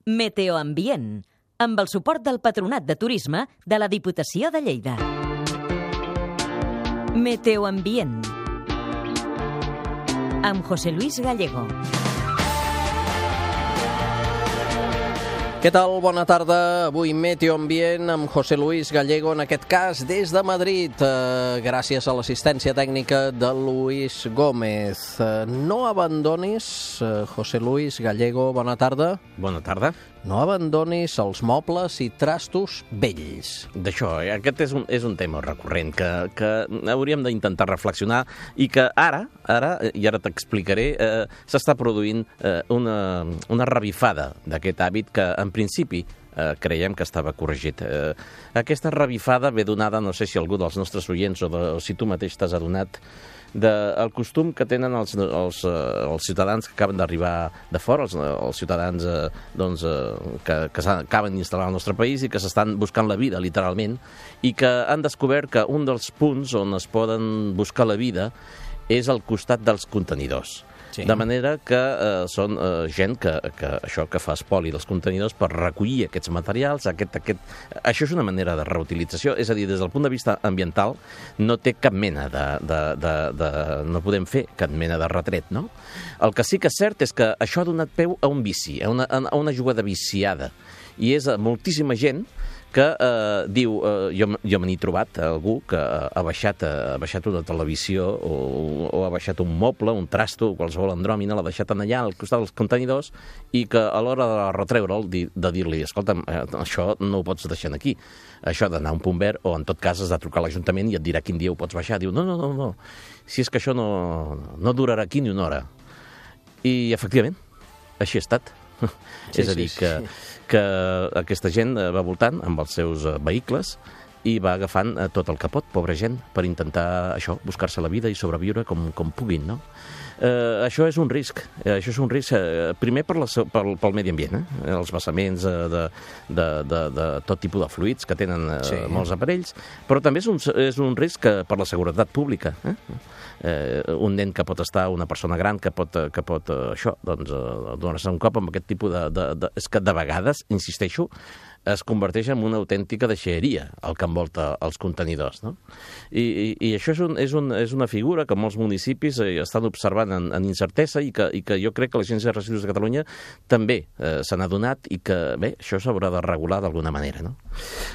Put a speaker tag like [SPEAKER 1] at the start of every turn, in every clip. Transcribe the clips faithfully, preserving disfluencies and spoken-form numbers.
[SPEAKER 1] Meteoambient, amb el suport del Patronat de Turisme de la Diputació de Lleida. Meteoambient, amb José Luis Gallego.
[SPEAKER 2] Què tal? Bona tarda. Avui Meteoambient amb José Luis Gallego, en aquest cas des de Madrid, eh, gràcies a l'assistència tècnica de Luis Gómez. Eh, no abandonis, eh, José Luis Gallego, bona tarda.
[SPEAKER 3] Bona tarda.
[SPEAKER 2] No abandonis els mobles i trastos vells.
[SPEAKER 3] D'això, eh? aquest és un, és un tema recurrent que, que hauríem d'intentar reflexionar i que ara, ara i ara t'explicaré, eh, s'està produint eh, una, una revifada d'aquest hàbit que en principi eh, creiem que estava corregit. Eh, aquesta revifada ve donada, no sé si algú dels nostres oients o, de, o si tu mateix t'has adonat, del costum que tenen els, els, els ciutadans que acaben d'arribar de fora, els, els ciutadans eh, doncs, eh, que, que acaben d'instal·lar al nostre país i que s'estan buscant la vida, literalment, i que han descobert que un dels punts on es poden buscar la vida és al costat dels contenidors. Sí. De manera que eh, són eh, gent que, que això que fa espoli dels contenidors per recollir aquests materials. Aquest, aquest... Això és una manera de reutilització, és a dir, des del punt de vista ambiental no té cap mena de... de, de, de no podem fer cap mena de retret, no? El que sí que és cert és que això ha donat peu a un vici, a una, a una jugada viciada, i és a moltíssima gent que eh, diu, eh, jo, jo me n'he trobat algú que ha baixat, ha baixat una televisió o, o ha baixat un moble, un trasto, qualsevol andròmina, l'ha deixat allà al costat dels contenidors i que a l'hora de retreure'l, de dir-li, escolta'm, eh, això no ho pots deixar aquí, això ha d'anar a un punt verd o en tot cas has de trucar a l'Ajuntament i et dirà quin dia ho pots baixar. Diu, no, no, no, no, si és que això no, no durarà aquí ni una hora. I efectivament, així ha estat. Sí, és a dir, sí, que, sí. que aquesta gent va voltant amb els seus vehicles i va agafant tot el que pot, pobra gent, per intentar això, buscar-se la vida i sobreviure com, com puguin, no? Eh, això és un risc, eh, això és un risc eh, primer per la, pel, pel medi ambient, eh? Els vessaments eh, de, de, de, de tot tipus de fluids que tenen eh, sí. molts aparells, però també és un, és un risc per la seguretat pública, eh? Eh, un nen que pot estar, una persona gran que pot, que pot eh, això, doncs, eh, donar-se un cop amb aquest tipus de, de, de... És que de vegades, insisteixo, es converteix en una autèntica deixalleria el que envolta els contenidors, no? I, i, i això és, un, és, un, és una figura que molts municipis eh, estan observant en, en incertesa i que, i que jo crec que l'Agència de Residus de Catalunya també eh, se n'ha adonat i que, bé, això s'haurà de regular d'alguna manera, no?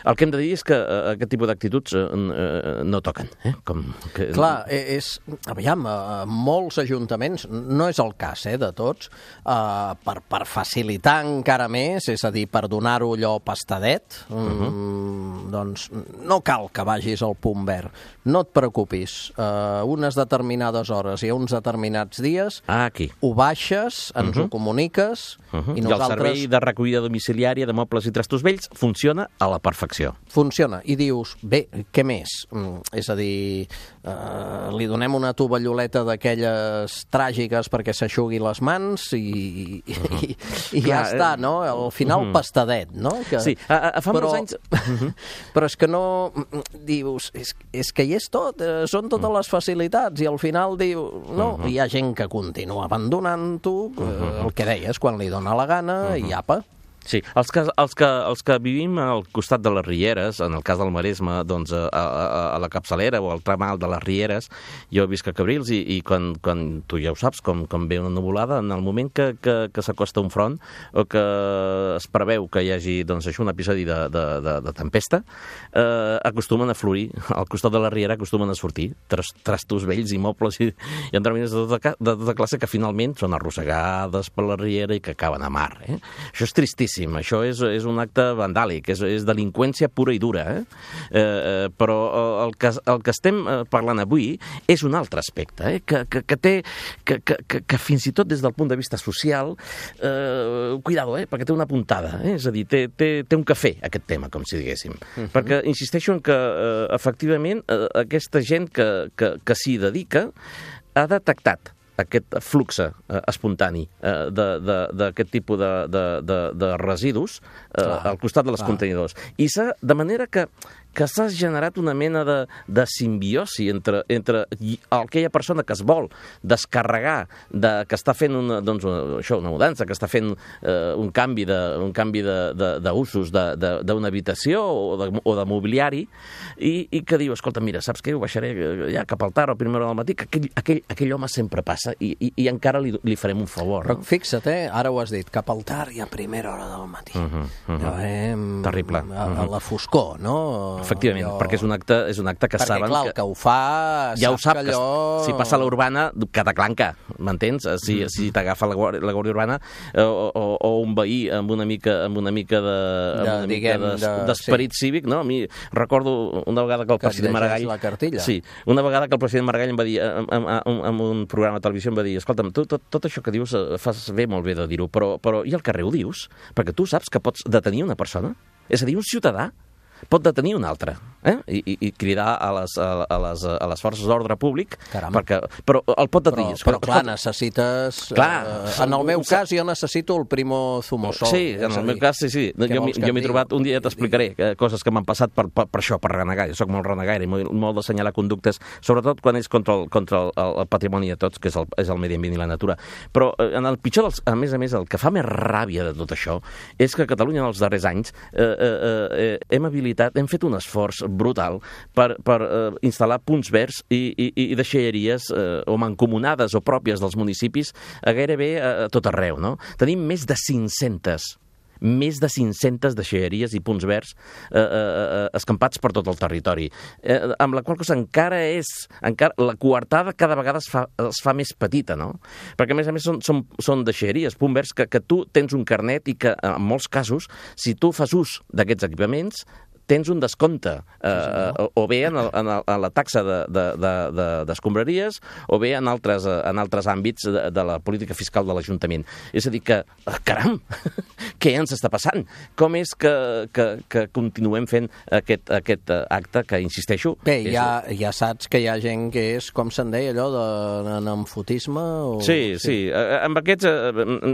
[SPEAKER 3] El que hem de dir és que eh, aquest tipus d'actituds eh, eh, no toquen, eh? Com que...
[SPEAKER 2] Clar, és... Aviam, eh, molts ajuntaments, no és el cas, eh, de tots, eh, per, per facilitar encara més, és a dir, per donar-ho allò pastadet, uh-huh. mm, doncs no cal que vagis al punt verd. No et preocupis. Uh, unes determinades hores i uns determinats dies
[SPEAKER 3] ah, aquí.
[SPEAKER 2] Ho baixes, ens uh-huh. ho comuniques
[SPEAKER 3] uh-huh.
[SPEAKER 2] i nosaltres...
[SPEAKER 3] I el servei de recollida domiciliària de mobles i trastos vells funciona a la perfecció.
[SPEAKER 2] Funciona. I dius, bé, què més? Mm, és a dir, uh, li donem una tovalloleta d'aquelles tràgiques perquè s'aixugui les mans i, uh-huh. i, i ja Clar, està, no? Al final uh-huh. pastadet, no? Que...
[SPEAKER 3] Sí, a, a, fa
[SPEAKER 2] però,
[SPEAKER 3] molts anys... Uh-huh.
[SPEAKER 2] Però és que no... Dius, és, és que hi és tot, eh, són totes les facilitats, i al final diu, no, uh-huh. hi ha gent que continua abandonant-ho, eh, uh-huh. el que deies, quan li dóna la gana, uh-huh. i apa.
[SPEAKER 3] Sí, els que, els, que, els que vivim al costat de les Rieres, en el cas del Maresme, doncs a, a, a la capçalera o al tram alt de les Rieres, jo visc a Cabrils i, i quan, quan tu ja ho saps, com, com ve una nuvolada, en el moment que, que, que s'acosta un front o que es preveu que hi hagi doncs, això, un episodi de, de, de, de tempesta, eh, acostumen a florir, al costat de la Riera acostumen a sortir tras, trastos vells i mobles i, i endròmines de tota, de tota classe que finalment són arrossegades per la Riera i que acaben a mar. Eh? Això és tristíssim. Això és, és un acte vandàlic, és, és delinqüència pura i dura, eh? Eh, però el que, el que estem parlant avui és un altre aspecte, eh? que, que, que té, que, que, que fins i tot des del punt de vista social, eh, cuidado, eh? perquè té una puntada, eh? És a dir, té, té, té un cafè aquest tema, com si diguéssim, uh-huh. perquè insisteixo en que eh, efectivament eh, aquesta gent que, que, que s'hi dedica ha detectat aquest flux eh, espontani eh, d'aquest tipus de, de, de, de residus eh, al costat de les contenidors. I s'ha, de manera que que s'ha generat una mena de, de simbiosi entre, entre aquella persona que es vol descarregar, de, que està fent una, doncs, una, això, una mudança, que està fent eh, un canvi de, un canvi d'usos d'una habitació o de, o de mobiliari, i, i que diu, escolta, mira, saps què, ho baixaré ja cap al tard o a primera hora del matí, que aquell, aquell, aquell home sempre passa i, i, i encara li, li farem un favor.
[SPEAKER 2] Però
[SPEAKER 3] no?
[SPEAKER 2] fixa't, eh? Ara ho has dit, cap al tard i a primera hora del matí. Uh -huh, uh -huh. Ja, eh?
[SPEAKER 3] Terrible.
[SPEAKER 2] A, a la foscor, no?
[SPEAKER 3] Efectivament,
[SPEAKER 2] allò...
[SPEAKER 3] perquè és un acte, és un acte que
[SPEAKER 2] perquè,
[SPEAKER 3] saben...
[SPEAKER 2] Perquè, clar, el que ho fa...
[SPEAKER 3] Ja ho sap,
[SPEAKER 2] que allò...
[SPEAKER 3] si passa a l'urbana, cataclanca, m'entens? Si, mm. si t'agafa la, la Guàrdia Urbana o, o, o un veí amb una mica, amb una mica de,
[SPEAKER 2] de,
[SPEAKER 3] amb una
[SPEAKER 2] diguem,
[SPEAKER 3] mica d'esperit de, sí. cívic, no? A mi recordo una vegada que el
[SPEAKER 2] que
[SPEAKER 3] president Maragall...
[SPEAKER 2] la cartilla.
[SPEAKER 3] Sí, una vegada que el president Maragall em va dir, en, en, en, en un programa de televisió em va dir, escolta'm, tu tot, tot això que dius fas bé, molt bé de dir-ho, però, però i al carrer ho dius? Perquè tu saps que pots detenir una persona? És a dir, un ciutadà pot detenir un altre, eh? I, i, i cridar a les, a, a les, a les forces d'ordre públic, perquè, però el pot detenir.
[SPEAKER 2] Però, però clar, necessites...
[SPEAKER 3] Clar,
[SPEAKER 2] eh, en el meu cas jo necessito el primo zumosol.
[SPEAKER 3] Sí, en el meu cas, sí, sí. Jo m'he trobat, un dia t'explicaré coses que m'han passat per, per, per això, per renegar. Jo soc molt renegaire i molt, molt d'assenyalar conductes, sobretot quan és contra el, contra el, el patrimoni de tots, que és el, és el medi ambient i la natura. Però en el pitjor dels... A més a més, el que fa més ràbia de tot això és que a Catalunya en els darrers anys eh, eh, eh, hem habilitat hem fet un esforç brutal per, per eh, instal·lar punts verds i, i, i deixalleries eh, o mancomunades o pròpies dels municipis a gairebé a, a tot arreu, no? Tenim més de cinc-centes més de cinc-centes deixalleries i punts verds eh, eh, escampats per tot el territori, eh, amb la qual cosa encara és, encara, la coartada cada vegada es fa, es fa més petita, no? Perquè a més a més són, són, són deixalleries, punts verds, que, que tu tens un carnet i que en molts casos, si tu fas ús d'aquests equipaments, tens un descompte, eh, o, o bé en, el, en, el, en la taxa d'escombraries de, de, de, o bé en altres, en altres àmbits de, de la política fiscal de l'Ajuntament. És a dir que, caram, què ens està passant? Com és que, que, que continuem fent aquest, aquest acte que, insisteixo...
[SPEAKER 2] Bé, ja, ja saps que hi ha gent que és, com se'n deia, allò de nemfotisme? O...
[SPEAKER 3] Sí, sí, sí. Amb aquests,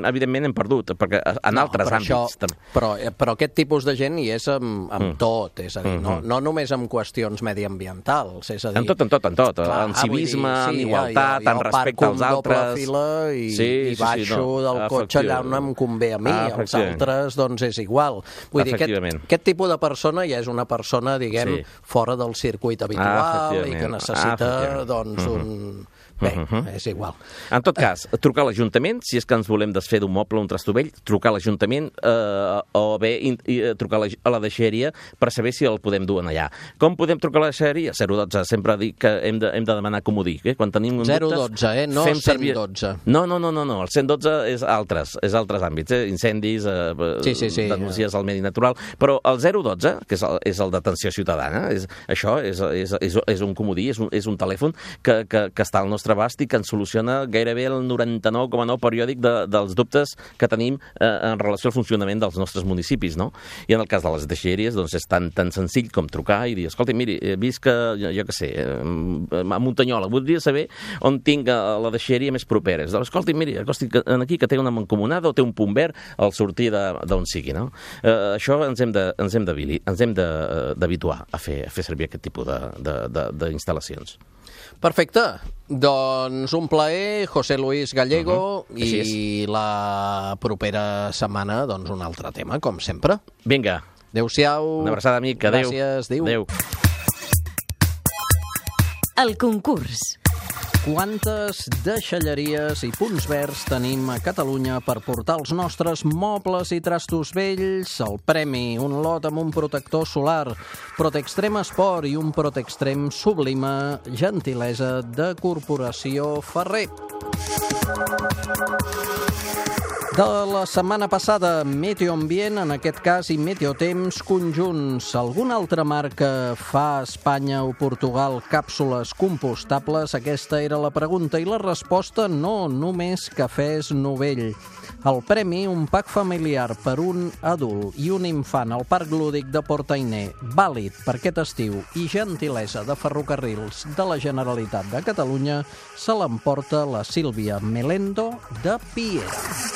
[SPEAKER 3] evidentment, hem perdut, perquè en
[SPEAKER 2] no,
[SPEAKER 3] altres
[SPEAKER 2] però
[SPEAKER 3] àmbits...
[SPEAKER 2] Això, però, però aquest tipus de gent hi és amb, amb mm. tot. És a dir, no, no només en qüestions mediambientals, és a dir...
[SPEAKER 3] En tot, en tot, en tot. Clar, en civisme, dir, sí, en igualtat, en respecte als altres...
[SPEAKER 2] I,
[SPEAKER 3] sí,
[SPEAKER 2] i baixo
[SPEAKER 3] sí, sí, no.
[SPEAKER 2] del cotxe allà on em convé a mi, ah, els altres, doncs és igual. Vull dir, aquest, aquest tipus de persona ja és una persona, diguem, sí. fora del circuit habitual ah, i que necessita, ah, doncs, un... Bé, uh -huh. és igual.
[SPEAKER 3] En tot cas, trucar a l'Ajuntament, si és que ens volem desfer d'un moble o un trastovell, trucar a l'Ajuntament eh, o bé i, i, trucar a la, a la deixalleria per saber si el podem dur allà. Com podem trucar a la deixalleria? zero dotze, sempre dic que hem de, hem de demanar comodí. Eh? Quan tenim un
[SPEAKER 2] zero dotze, eh? No cent dotze.
[SPEAKER 3] No, no, no, no, no, el cent dotze és altres, és altres àmbits, eh? Incendis, eh,
[SPEAKER 2] sí, sí, sí,
[SPEAKER 3] denúncies al medi natural, però el zero dotze, que és el, és el d'atenció ciutadana, és, això és, és, és, és un comodí, és un, és un telèfon que, que, que està al nostre abast i que ens soluciona gairebé el noranta-nou coma nou periòdic de, dels dubtes que tenim eh, en relació al funcionament dels nostres municipis, no? I en el cas de les deixalleries, doncs és tan, tan senzill com trucar i dir, escolta, miri, he vist que, jo, jo què sé, a Muntanyola, voldria saber on tinc la deixalleria més propera. Doncs, escolta, miri, acosti aquí que té una mancomunada o té un punt verd al sortir d'on sigui, no? Eh, això ens hem de, ens hem d'habituar a fer, a fer servir aquest tipus d'instal·lacions.
[SPEAKER 2] Perfecte. Doncs un plaer, José Luis Gallego, uh -huh. i la propera setmana, doncs, un altre tema, com sempre.
[SPEAKER 3] Vinga.
[SPEAKER 2] Adéu-siau.
[SPEAKER 3] Una abraçada, amic. Adéu.
[SPEAKER 2] Gràcies. Adéu.
[SPEAKER 3] Adéu.
[SPEAKER 1] El concurs.
[SPEAKER 2] Quantes deixalleries i punts verds tenim a Catalunya per portar els nostres mobles i trastos vells? El premi, un lot amb un protector solar, Protextrem Esport i un Protextrem Sublima, gentilesa de Corporació Ferrer. De la setmana passada, Meteoambient, en aquest cas, i Meteotemps conjunts. Alguna altra marca fa a Espanya o Portugal càpsules compostables? Aquesta era la pregunta i la resposta no, només Cafès Novell. El premi, un pack familiar per un adult i un infant al Parc Lúdic de Port-Ainé, vàlid per aquest estiu i gentilesa de Ferrocarrils de la Generalitat de Catalunya, se l'emporta la Sílvia Melendo de Piera.